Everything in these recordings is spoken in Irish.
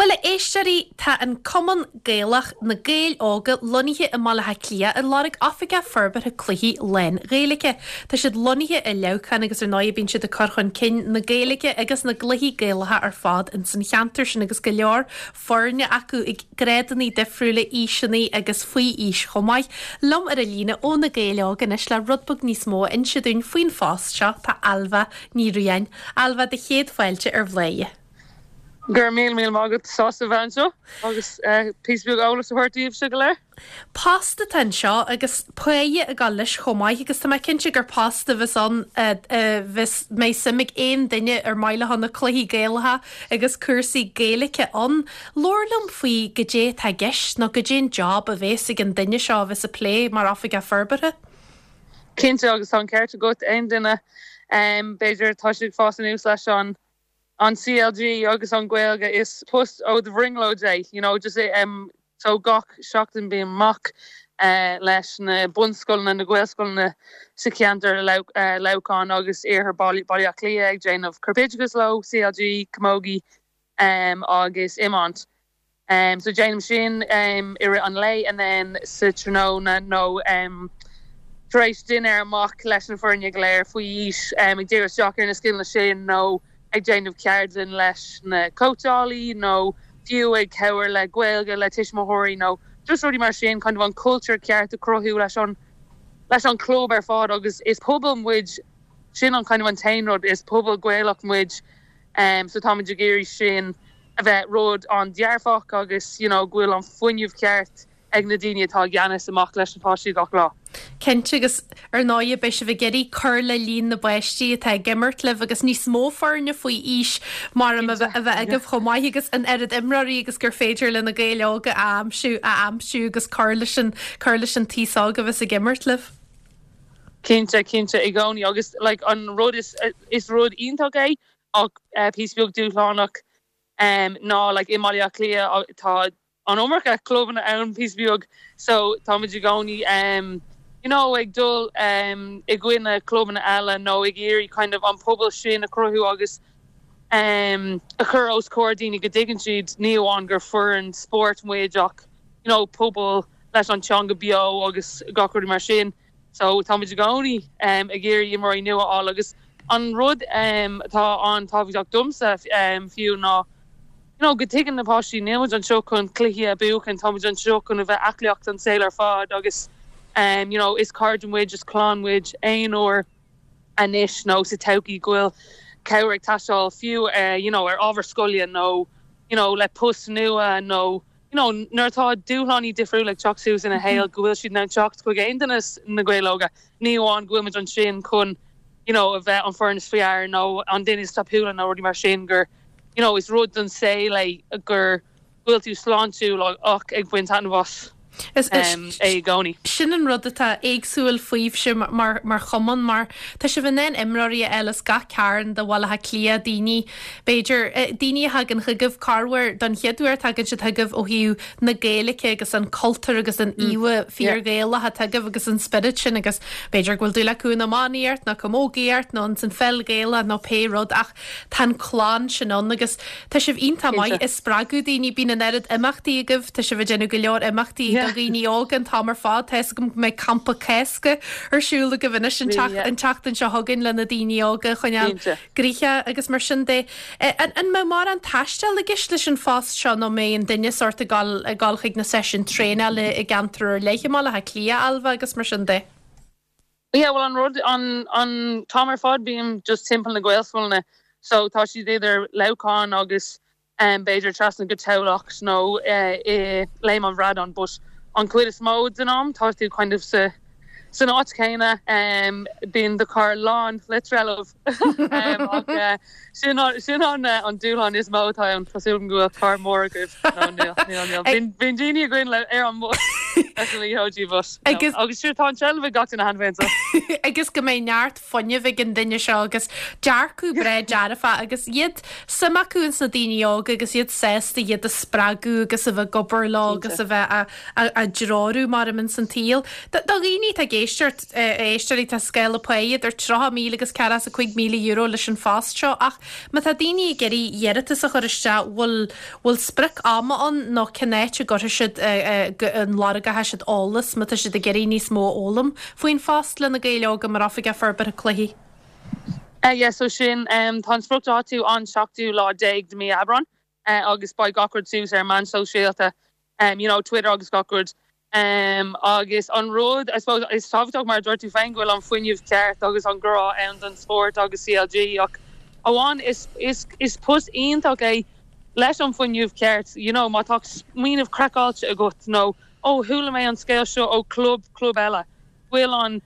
Bhuel, a éisteoirí, tá an Cumann Gaelach, Na Gaeil Óga, lonnaithe i mBaile Átha Cliath ag lorg Oifigeach Forbartha Cluichí lán-Ghaeilge. Tá siad lonnaithe i Leamhcán agus ar ndóigh bíonn siad ag cur chun cinn na Gaeilge agus na gcluichí Gaelacha ar fad ins an cheantar sin agus go leor foirne acu ag grádanna difriúla, aoiseanna agus faoi aois chomh maith. Liom ar an líne ó Na Gaeil Óga anois le rud beag níos mó a inse dúinn faoin phost seo tá Ailbhe Ní Riain. Ailbhe, do chéad fáilte ar Bhláth. Go raibh míle míle maith agat, sásta a bheith anseo agus píosa beag eolais a thabhairt daoibhse go léir. Post atá anseo agus páighe ag dul leis chomh maith agus tá mé cinnte gur post a bheas ann a bheas mbeidh suim ag aon duine ar maith leo na cluichí Gaelacha agus cúrsaí Gaeilge ann. Labhair liom faoi goidé atá i gceist nó goidé an job a bheas ag an duine seo a bheas ag plé mar Oifigeach Forbartha. Cinnte agus tá an ceart agat, aon duine b'fhéidir tá siad ag fás anuas leis an an CLG agus an Ghaeilge is post ó do bhrionglóid é you know just em so gach seachtain bím amach eh leis na bunscoileanna na Gaelscoileanna sa cheantar eh Leamhcán agus iarthar Baile Baile Átha Cliath ag déanamh corpoideachas leo CLG camogie em agus iomáint. So déanaim sin i rith an lae and then sa tráthnóna nó tar éis dinnéar amach leis na foirne go léir faoi aois ag díriú isteach ar na scileanna sin nó ag déanamh ceardlann leis na cóitseálaí nó fiú ag cabhair le Gaeilge le tuismitheoirí nó just rudaí mar sin, kind of an cultúr ceart a chruthú leis an leis an club ar fad agus is pobal muid, sin an kind of an t-aon rud, is pobal Gaelach muid so táimid ag iarraidh sin a bheith rud an-dearfach agus you know go bhfuil an fuinneamh ceart ag na daoine atá i gceannas amach leis na páistí gach lá. Cinnte agus ar ndóigh beidh sibh ag iarraidh cur le líon na bpáistí atá ag imirt libh agus níos mó foirne faoi aois mar a bheith agaibh chomh maith agus an oiread imreoirí agus gur féidir le Na Gaeil Óga a aimsiú a aimsiú agus cur leis an cur leis an t-aos óg a bheas ag imirt libh. Cinnte, cinnte i gcónaí agus like an rud is is rud iontach é ach píosa beag dúshlánach ná like i mBaile Átha Cliath tá an iomarca clubanna ann píosa beag so táimid i gcónaí you know ag dul i gcoinne clubanna eile nó ag iarraidh kind of an pobal sin a chruthú agus a chur os comhair daoine go dtuigeann siad ní amháin gur foireann spóirt muid ach you know pobal leis an teanga beo agus gach rudaí mar sin. So táimid i gcónaí ag iarraidh imreoirí nua a fháil agus an rud atá an-tábhachtach domsa fiú ná you know go dtuigeann na páistí níl muid anseo chun cluichí a bhuachan, tá muid anseo chun a bheith aclaíocht an saol ar fad agus you know is cairde muid, is clann muid aon uair anois nó sa todhchaí go bhfuil cabhair ag teastáil fiú you know ar ábhar scoile nó you know le post nua nó you know, nuair atá dúshlánaí difriúla ag teacht suas ina shaol, go bhfuil siad in ann teacht chuig aon duine sna Gaeil Óga. Ní amháin go bhfuil muid ansin chun, you know, a bheith an foireann is fearr nó an duine is tapúla nó rudaí mar sin, gur, you know, is rud don saol é gur go bhfuil tú sláintiúil ach ag baint taitneamh as é i gcónaí. Sin an rud atá éagsúil fúibhse mar mar chumann mar tá sibh in ann imreoirí a fháil as gach cearn de Bhaile Átha Cliath, daoine B'fhéidir, daoine a thagann chugaibh corruair don chéad uair, tagann siad chugaibh ó thaobh na Gaeilge agus an cultúr agus an íomha fíor-Ghaelach atá agaibh agus an spiorad sin agus b'fhéidir go bhfuil dúil acu in iománaíocht nó camógaíocht nó ins an pheil Ghaelach nó pé rud ach tá an clann sin ann agus tá sibh iontach maith ag spreagadh daoine, bíonn an oiread imeachtaí agaibh, tá sibh ag déanamh go leor imeachtaí do dhaoine óga an t-am ar fad, tá fhios agam go mbeidh campa Cásca ar siúl agaibh anois an tseachtain seo chugainn le na daoine óga a choinneáil gnoitheach agus mar sin de. An mbeidh mórán taistil i gceist leis an phost seo nó mbeidh an duine sórt ag dul ag dul chuig na seisiúin traenála i gceantar ar leith i mBaile Átha Cliath, Ailbhe agus mar sin de? Yeah, bhuel an rud, an, an t-am ar fad bím just timpeall na Gaelscoileanna so tá siad idir Leamhcán agus b'fhéidir trasna go Tamhlacht nó i Léim an Bhradáin but an chuid is mó den am tá tú kind of sa san áit chéanna, bíonn do charr lán le trealamh ach sin sin an an dúshlán is mó atá ann, tá súil agam go bhfuil carr mór agaibh nó níl, níl, níl. Bíonn bíonn daoine againn le ar an mbus leis na liathróidí but no agus sure tá an trealamh ag gach duine cheana féin so. Agus go mbeidh neart fuinneamh ag an duine seo agus dearcadh breá dearfach agus iad, suim acu ins na daoine óga agus iad sásta iad a spreagadh agus a bheith ag obair leo agus a bheith á dtreorú mar ins an tsaol. Do dhaoine atá ag. éisteacht, a éisteoirí, tá scála pá idir 30,000 agus €45,000 leis an phost seo ach má tá daoine ag iarraidh iarratas a chur isteach, bhfuil, bhfuil sprioc ama ann nó cén áit a gcuirfidh siad, a lorgóidh siad eolas má tá siad ag iarraidh níos mó a fhoghlaim faoin phost le Na Gaeil Óga mar Oifigeach Forbartha Cluichí? Yeah, so sin, tá an spriocdháta an seachtú lá déag de mí Aibreán agus beidh gach rud suas ar meáin sóisialta you know, Twitter agus gach rud. Agus an rud, I suppose, is tábhachtach mar a dúirt tú féin go bhfuil an fuinneamh ceart agus an grá ann don spórt agus CLG ach amháin is, is, is post iontach é leis an fuinneamh ceart, you know, má tá smaoineamh craiceáilte agat nó oh chuala mé an scéal seo ó club, club eile, go bhfuil an,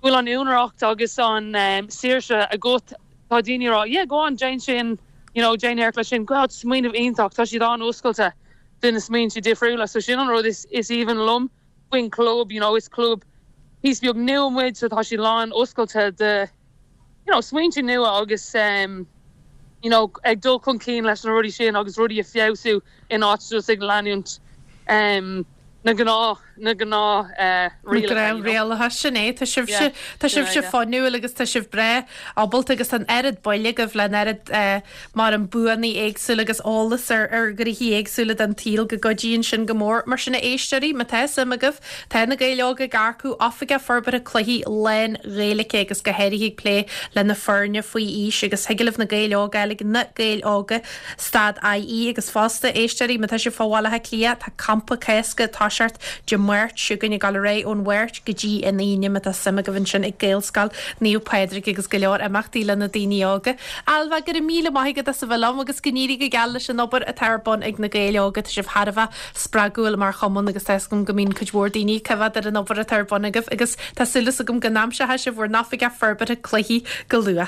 go bhfuil an úinéireacht agus an saoirse agat, tá daoine ag rá yeah go on déan sin, you know, déan iarracht leis sin, God smaoineamh iontach, tá siad an-oscailte. do na smaointe difriúla. So sin an rud is is aoibhinn liom faoin chlub, you know, is club píosa beag nua muid so tá siad lán oscailte do you know smaointe nua agus um you know ag dul chun cinn leis na rudaí sin agus rudaí a feabhsú in áit just ag leanúint um na gnáth na gnáth eh rialacha, you know. Rialacha, sin é. Tá sibhse tá sibhse fuinniúil agus tá sibh breá ábalta agus tá an oiread baile agaibh le an oiread eh mar an buanna éagsúla agus eolas ar ar ghnoithí éagsúla den tsaol go gcuidíonn sin go mór. Mar sin a éisteoirí, má tá suim agaibh, tá Na Gaeil Óga ag earcú Oifigeach Forbartha Cluichí lán-Ghaeilge agus go háirithe ag plé le na foirne faoi aois agus thig libh Na Gaeil Óga a fháil ag Na Gaeil Óga stad IE agus fosta, éisteoirí, má tá sibh fá Bhaile Átha Cliath, tá Campa Cásca ag toiseacht Dé Máirt seo chugainn ag dul ar aghaidh ón Mháirt go dtí an Aoine má tá suim agaibh ansin ag Gaelscoil Naomh Pádraig agus go leor imeachtaí le na daoine óga. Ailbhe, go raibh míle maith agat as a bheith liom agus go n-éirí go geal leis an obair atá ar bun ag Na Gaeil Óga. Tá sibh thar a bheith spreagúil mar chumann agus tá 'fhios agam go mbíonn cuid mhór daoine ag coimhéad ar an obair atá ar bun agaibh agus tá súil agam go n-aimseoidh sibh bhur n-oifigeach forbartha cluichí go luath.